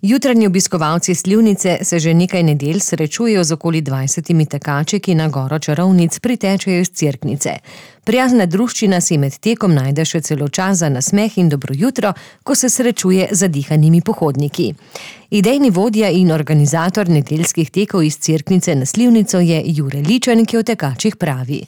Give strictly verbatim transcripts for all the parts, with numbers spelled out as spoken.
Jutranji obiskovalci Slivnice se že nekaj nedelj srečujejo z okoli dvajsetimi tekači, ki na Goro čarovnic pritečejo iz Cerknice. Prijazna druščina si med tekom najde še celo čas za nasmeh in dobro jutro, ko se srečuje z zadihanimi pohodniki. Idejni vodja in organizator nedeljskih tekov iz Cerknice na Slivnico je Jure Ličen, ki o tekačih pravi.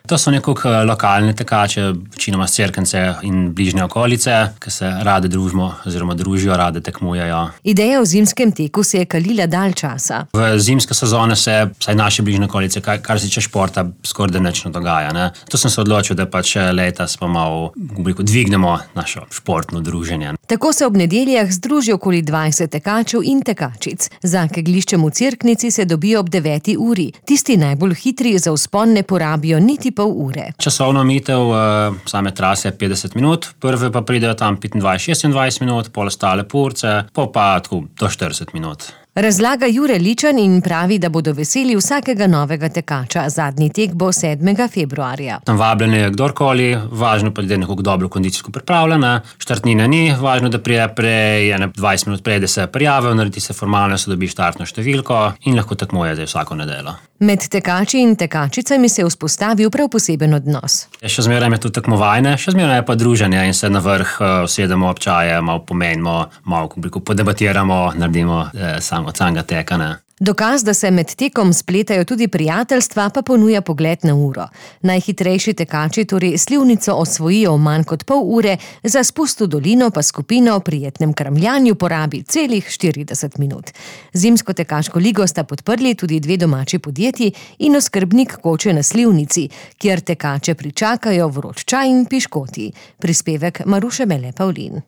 To so nekako lokalne tekače, večinoma s Cerknice in bližnje okolice, ki se rade družimo oziroma družijo, rade tekmujejo. Ideja o zimskem teku se je kalila dalj časa. V zimske sezone se, vsaj naše bližnje okolice, kar, kar se tiče športa, skoraj nič ne dogaja. Ne? To sem se odločil, da pač letos pa malo dvignemo našo športno druženje. Tako se ob nedeljah združi okoli dvajset tekačev in tekačic. Za kegljiščem v Cerknici se dobijo ob deveti uri. Tisti najbolj hitri za vzpon ne porabijo niti pol ure. Časovno omejitev uh, same trase je petdeset minut, prve pa pridejo tam petindvajset šestindvajset minut, pol ostale purce, pol pa tako do štirideset minut. Razlaga Jure Ličen in pravi, da bodo veseli vsakega novega tekača. Zadnji tek bo sedmega februarja. Tam vabljen je kdorkoli, važno pa je, da je nekako dobro kondicijsko pripravljena. Štartnine ni, važno, da prije prej, dvajset minut prej, da se prijavijo, naredi se formalno, se dobi štartno številko in lahko tekmuje za vsako nedeljo. Med tekači in tekačicami se je vzpostavil prav poseben odnos. Še zmeraj je to tekmovanje, še zmeraj je pa druženje in se na vrh usedemo ob čaje, malo pomenimo, malo podebatiramo, naredimo eh, sam od samega teka. Ne. Dokaz, da se med tekom spletajo tudi prijateljstva, pa ponuja pogled na uro. Najhitrejši tekači torej Slivnico osvojijo v manj kot pol ure, za spust v dolino pa skupina o prijetnem kramljanju porabi celih štirideset minut. Zimsko tekaško ligo sta podprli tudi dve domači podjetji in oskrbnik koče na Slivnici, kjer tekače pričakajo vroč čaj in piškoti. Prispevek Maruše Mele Pavlin.